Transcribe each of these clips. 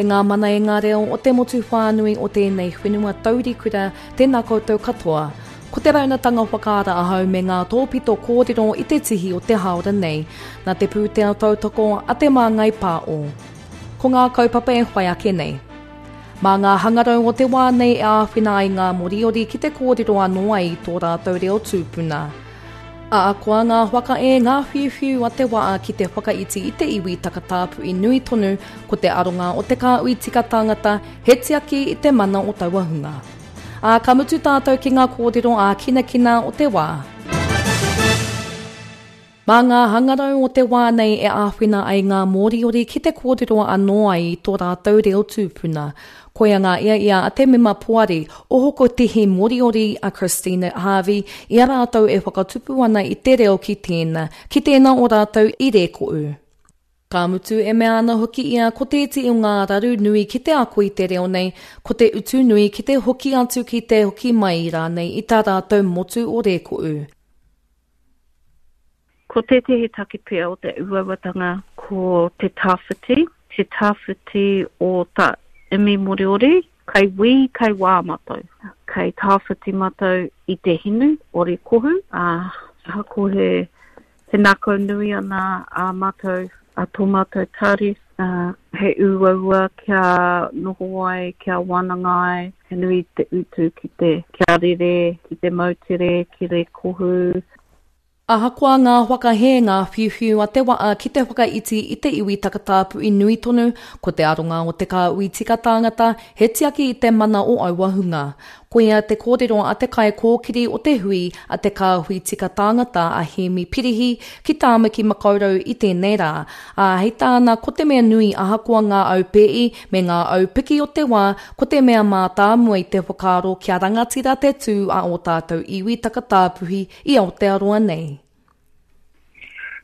E ngā mana e ngā reo o te motu whānui o tēnei whenua taurikura, tēnā koutou katoa. Ko te raunatanga whakaara ahau me ngā tōpito kōrero i te tihi o te hāora nei, nā te pūtea tautoko a Te Māngai Pāo. Ko ngā kaupapa e whai ake nei. Mā ngā hangarau o te wā nei e āwhina ai ngā Moriori ki te kōrero anō ai i tō rātou reo tūpuna. Ahakoa ngā whakae, ngā whiuwhiu a te waa ki te whakaiti i te iwi takatāpui nui tonu, ko te aronga o te kāhui tika tāngata, he tiaki i te mana o taua hunga. Ā, ka mutu tātou ki ngā kōrero ākinakina o te wā. Mā ngā hangarau o te wā nei e āwhina ai ngā Moriori ki te kōrero anō ai i tō rātou reo tūpuna. Koia ngā iaia a te mema poari o Hokotihi Moriori a Christina Harvey i a rātou e whakatupu ana i te reo ki tēna, ki tēna o rātou i Rēkoʻu. Ka mutu e mea ana hoki ia ko tēti o ngā raru nui ki te ako i te reo nei, ko te utu nui ki te hoki atu ki te hoki mai rānei i tā rātou motu o Rēkoʻu. Ko tētehi take pea o te uauatanga ko te tawhiti, te tawhiti o ta imi Moriori, kei wī, kei wā matou. Kei tawhiti matou i te hinu o Rekohu, ā, ahakoa he, he ngākau nui ana ā matou, a tō matou tari, ā, he uaua kia noho ai, kia wānanga ai, he nui te utu ki te, kia rere, ki te moutere, ki Rekohu. Ahakoa ngā whakahē, ngā whiuwhiu a te waa ki te whakaiti i te iwi takatāpui nui tonu, ko te aronga o te kāhui tika tāngata, he tiaki i te mana o aua hunga. Koia te kōrero a te kaikōkiri o te hui a te kāhui tika tāngata a Hēmi Pirihi ki Tāmaki Makaurau i tēnei rā. Ā, hei tāna ko te mea nui ahakoa ngā aupēi me ngā aupiki o te wā, ko te mea mātāmua i te whakaaro kia rangatira te tū a ō tātou iwi takatāpuhi i Aotearoa nei.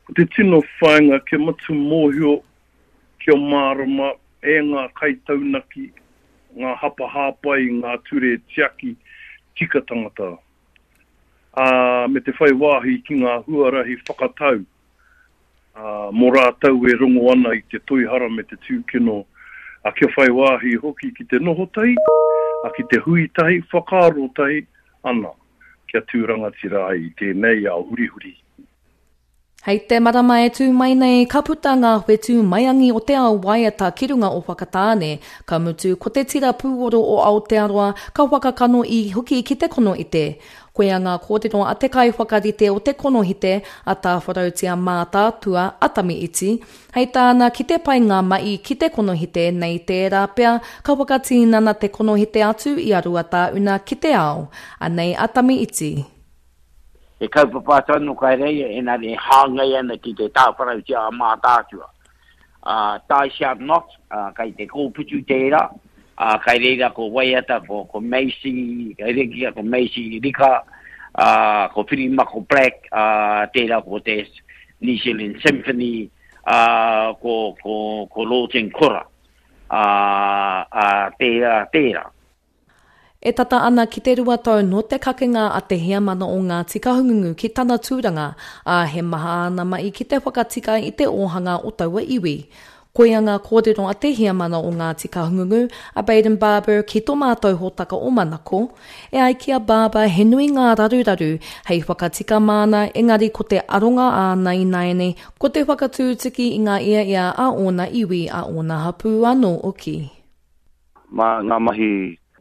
Ko te tino whāinga kia matu mōhio, kia mārama e ngā kaitaunaki, ngā hapa hāpai i ngā ture tiaki tika tangata, ā, me te whai wāhi ki ngā huarahi whakatau ā, mō rātou e rongo ana i te toihara me te tūkino, ā, kia whai wāhi hoki ki te noho tahi, ā, ki te hui tahi, whakaaro tahi ana, kia tū rangatira ai i tēnei ao hurihuri. Hei te marama e tū mai nei, ka puta ngā whetū maiangi o te ao waiata ki runga o Whakatāne, ka mutu ko te tira pūoro o Aotearoa ka whakakano i hoki ki te konoite. Koia ngā kōrero a te kaiwhakarite o te konohite, a Tāwharautia Mātaatua, a Tami Iti, hei tāna ki te pai ngā ma'i ki te konohite nei tērā pea ka whakatīnana te konohite atu i a Ruatāuna ki te ao. Anei a Tami Iti. He kaupapa atu anō kai reira, engari e hāngai ana ki te Tāwharautia a Mātaatua. Ā, Thou Shalt Not, ā, kei te kōputu tērā, ā, kai reira ko Waiata, ko, ko Macy, kai reira ko Macy Rika, ā, ko Whirimako Black, ā, tērā ko te New Zealand Symphony, ā, ko, ko, ko Lawton Kora, ā, ā, tērā, tērā. E tata ana ki te 2 tau nō te kakenga a te heamana o Ngāti Kahungungu ki tana tūranga, ā, he maha āna mahi ki te whakatika i te ōhanga o taua iwi. Koia ngā kōrero a te heamana o Ngāti Kahungungu, a Bayden Barber ki tō mātou hōtaka o Manako. E ai ki a Barber he nui ngā raruraru hei whakatika māna engari ko te aronga āna ināianei ko te whakatūtuki i ngā iaia a ōna iwi, a ōna hapū anō hoki. Mā ngā mahi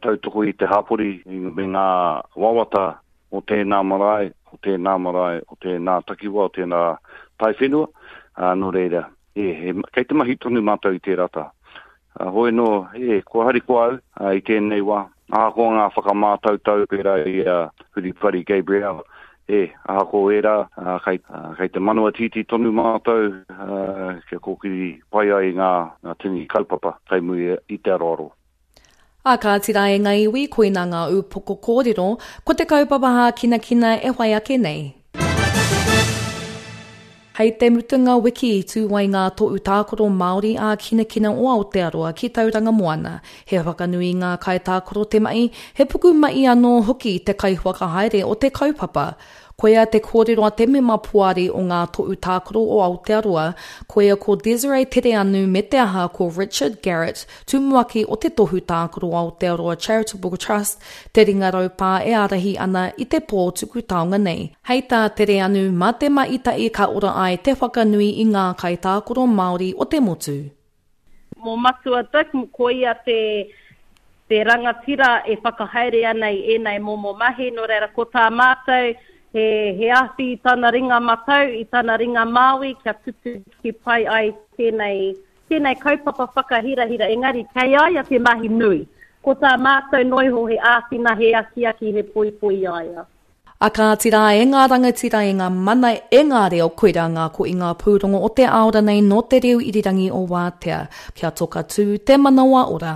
tautoko i te hapori me ngā wawata o tēnā marae, o tēnā marae, o tēnā takiwā, o tēnā taiwhenua, ā, nō reira, e, he, kei te mahi tonu mātou i tērā taha. Ā, hoi nō, e, kua harikoa au ā, i tēnei wā, ahakoa ngā whakamātautau pērā i a Huripari Gabrielle, E, ahakoa ērā, kei, kei te manawa tītī tonu mātou kia kōkiri pai ai ngā, ngā tini kaupapa kei muri i te aroaro. Ā kāti rā e ngā iwi, koinā ngā ūpoko kōrero, ko te kaupapa hākinakina e whai ake nei. Hei te mutunga wiki i tū ai ngā tohu tākaro Māori ā-kinakina o Aotearoa ki Tauranga Moana. He whakanui i ngā kaitākaro te mahi, he pukumahi anō hoki te kaiwhakahaere o te kaupapa. Koia te kōrero a te mema poari o Ngā Tohu Tākaro o Aotearoa, koia ko Desiree Tereanu me te aha ko Richard Garrett, tumuaki o te Tohu Tākaro Aotearoa Charitable Trust, te ringa raupā e ārahi ana i te pō tuku taonga nei. Hei tā Tereanu, mā te maita'i ka ora ai te whakanui i ngā kaitākaro Māori o te motu. Mō Matua Dick, ko ia te te rangatira e whakahaere ana i ēnei momo mahi, nō reira ko tā mātou he he awhi i tana ringa matau, i tana ringa māui kia tutuki pai ai tēnei tēnei kaupapa whakahirahira, engari kei a ia te mahi nui. Ko tā mātou noa iho he āwhina, he akiaki, he poipoi i a ia. A kāti rā e ngā rangatira e ngā mana e ngā reo koirā ngā ko i ngā pūrongo o te ao ranei nō te reo irirangi o Wātea. Kia toka tū te manawa ora.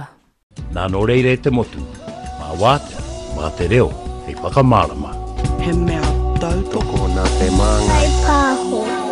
Nā nō reira e te motu, mā Wātea, mā te reo hei whakamārama. He mea tautoko nā te māngai. Kaipāho.